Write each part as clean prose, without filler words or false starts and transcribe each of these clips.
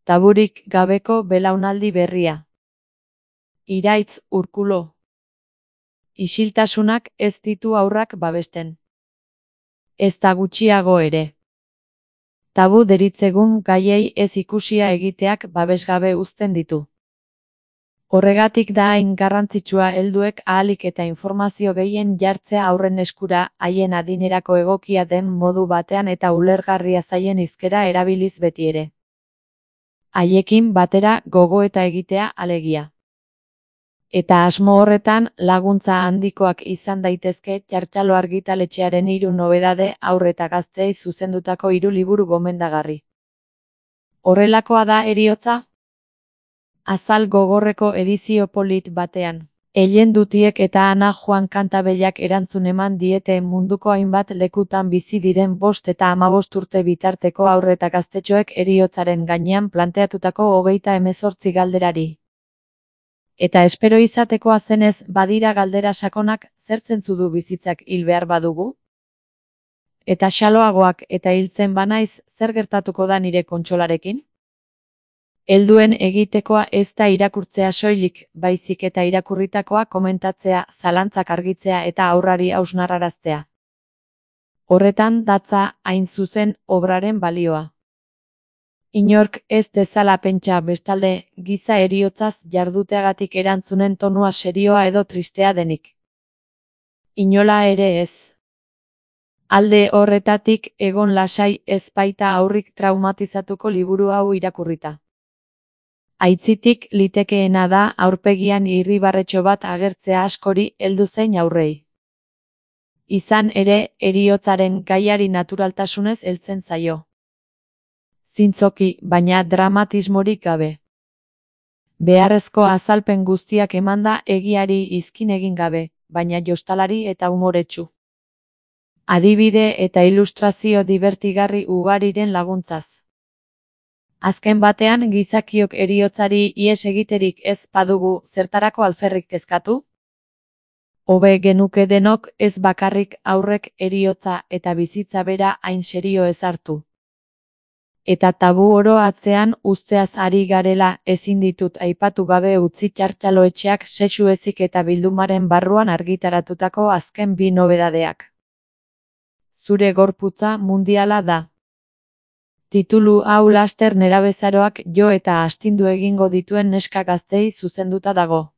Taburik gabeko belaunaldi berria. Iraitz Urkulo. Isiltasunak ez ditu haurrak babesten. Ezta gutxiago ere. Tabu deritzegun gaiei ez ikusia egiteak babesgabe uzten ditu. Horregatik da hain garrantzitsua helduek ahalik eta informazio gehien jartzea aurren eskura, haien adinerako egokia den modu batean eta ulergarria zaien hizkera erabiliz beti ere. Haiekin batera gogoeta egitea alegia. Eta asmo horretan laguntza handikoak izan daitezke Txartxalo argitaletxearen 3 nobedade haur eta gazteei zuzendutako 3 liburu gomendagarri. Horrelakoa da Heriotza? Azal gogorreko edizio polit batean. Ellen Dutiek eta Ana Juan Kantabellak erantzun eman diete munduko hainbat lekutan bizi diren 5 eta 15 urte bitarteko haur eta gaztetxoek heriotzaren gainean planteatutako 38 galderari. Eta espero izatekoa zenez badira galdera sakonak, zer zentzu du bizitzak hil behar badugu? Eta xaloagoak eta hiltzen banaiz, zer gertatuko da nire kontsolarekin? Helduen egitekoa ez da irakurtzea soilik, baizik eta irakurritakoa komentatzea, zalantzak argitzea eta aurrari hausnarraraztea. Horretan datza hain zuzen obraren balioa. Inork ez dezala pentsa bestalde, giza heriotzaz jarduteagatik erantzunen tonua serioa edo tristea denik. Inola ere ez. Alde horretatik egon lasai ez baita aurrik traumatizatuko liburu hau irakurrita. Aitzitik litekeena da aurpegian irribarretxo bat agertzea askori heldu zein aurrei. Izan ere, heriotzaren gaiari naturaltasunez heltzen zaio. Zintzoki, baina dramatismorik gabe. Beharrezko azalpen guztiak emanda egiari izkin egin gabe, baina jostalari eta umoretsu. Adibide eta ilustrazio divertigarri ugariren laguntzaz. Azken batean gizakiok heriotzari ihes egiterik ez badugu zertarako alferrik kezkatu? Hobe genuke denok ez bakarrik aurrek heriotza eta bizitza bera hain serio ez hartu. Eta tabu oro atzean uzteaz ari garela ezin ditut aipatu gabe utzi Txartxaloetxeak sexu ezik eta bildumaren barruan argitaratutako azken 2 nobedadeak. Zure gorputza mundiala da. Titulu hau laster nerabezaroak jo eta astindu egingo dituen neska gaztei zuzenduta dago.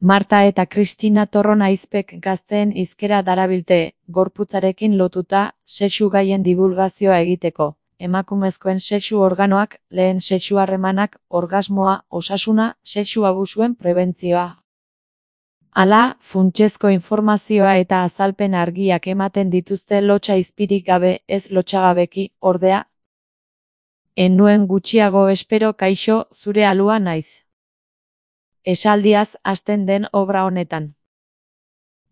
Marta eta Kristina Torron aizpek gazteen hizkera darabilte, gorputzarekin lotuta, sexu gaien divulgazioa egiteko. Emakumezkoen sexu organoak, lehen sexu harremanak, orgasmoa, osasuna, sexu abusuen prebentzioa. Hala, funtsezko informazioa eta azalpen argiak ematen dituzte lotsa izpirik gabe, ez lotsagabeki, ordea. Nuen gutxiago espero kaixo, zure alua naiz. Esaldiaz hasten den obra honetan.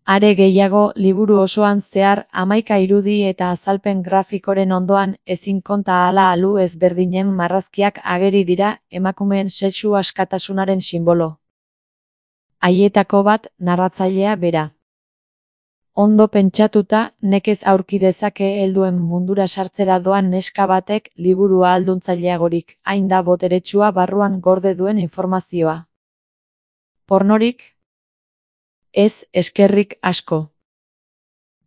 Are gehiago, liburu osoan zehar, 11 irudi eta azalpen grafikoren ondoan, ezin konta ahala alu ezberdinen marrazkiak ageri dira, emakumeen sexu askatasunaren sinbolo. Haietako bat, narratzailea bera. Ondo pentsatuta, nekez aurki dezake helduen mundura sartzera doan neska batek liburua alduntzaileagorik, hain da boteretsua barruan gorde duen informazioa. Pornorik? Ez, eskerrik asko.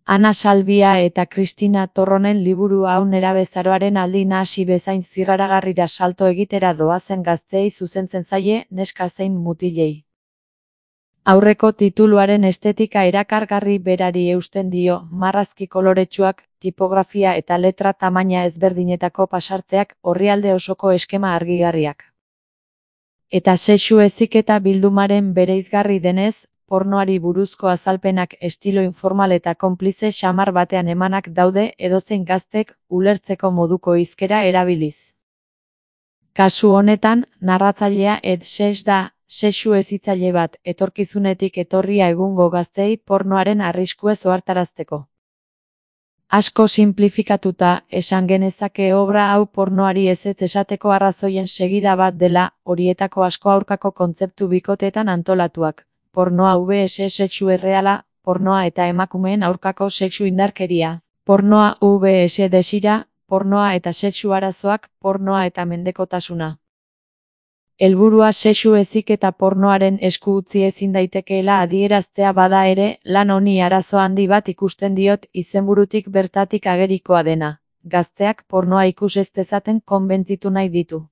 Ana Salvia eta Kristina Torronen liburu hau nerabezaroaren aldi nahasi bezain zirraragarrira salto egitera doazen gazteei zuzentzen zaie neska zein mutilei. Aurreko tituluaren estetika erakargarri berari eusten dio, marrazki koloretsuak, tipografia eta letra tamaina ezberdinetako pasarteak, orrialde osoko eskema argigarriak. Eta sexu heziketa bildumaren bereizgarri denez, pornoari buruzko azalpenak estilo informal eta konplize xamar batean emanak daude edozein gaztek ulertzeko moduko hizkera erabiliz. Kasu honetan, narratzailea Ed Seix da, sexu hezitzaile bat, etorkizunetik etorria egungo gazteei pornoaren arriskuez ohartarazteko. Asko sinplifikatuta, esan genezake obra hau pornoari ezetz esateko arrazoien segida bat dela, horietako asko aurkako kontzeptu bikotetan antolatuak. Pornoa vs sexu erreala, pornoa eta emakumeen aurkako sexu indarkeria. Pornoa vs desira, pornoa eta sexu arazoak, pornoa eta mendekotasuna. Helburua sexu heziketa pornoaren esku utzi ezin daitekeela adieraztea bada ere, lan honi arazo handi bat ikusten diot izenburutik bertatik agerikoa dena. Gazteak pornoa ikus ez dezaten konbentzitu nahi ditu.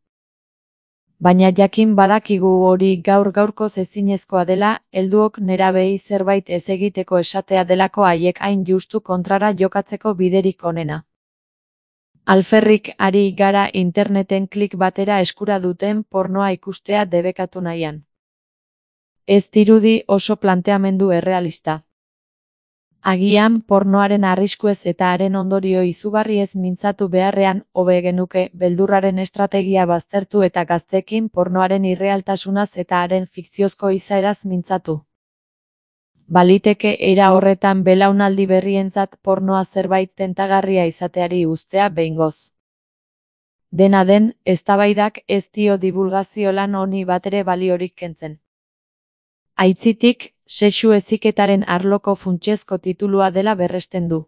Baina jakin badakigu hori gaur-gaurkoz ezinezkoa dela, helduok nerabeei zerbait ez egiteko esatea delako haiek hain justu kontrara jokatzeko biderik onena. Alferrik ari gara interneten klik batera eskura duten pornoa ikustea debekatu nahian. Ez dirudi oso planteamendu errealista. Agian pornoaren arriskuez eta haren ondorio izugarriez mintzatu beharrean, hobe genuke beldurraren estrategia baztertu eta gazteekin pornoaren irrealtasunaz eta haren fikziozko izaeraz mintzatu. Baliteke era horretan belaunaldi berrientzat pornoa zerbait tentagarria izateari uztea behingoz. Dena den, eztabaidak ez dio dibulgazio lan honi batere baliorik kentzen. Aitzitik, sexu heziketaren arloko funtsezko titulua dela berresten du.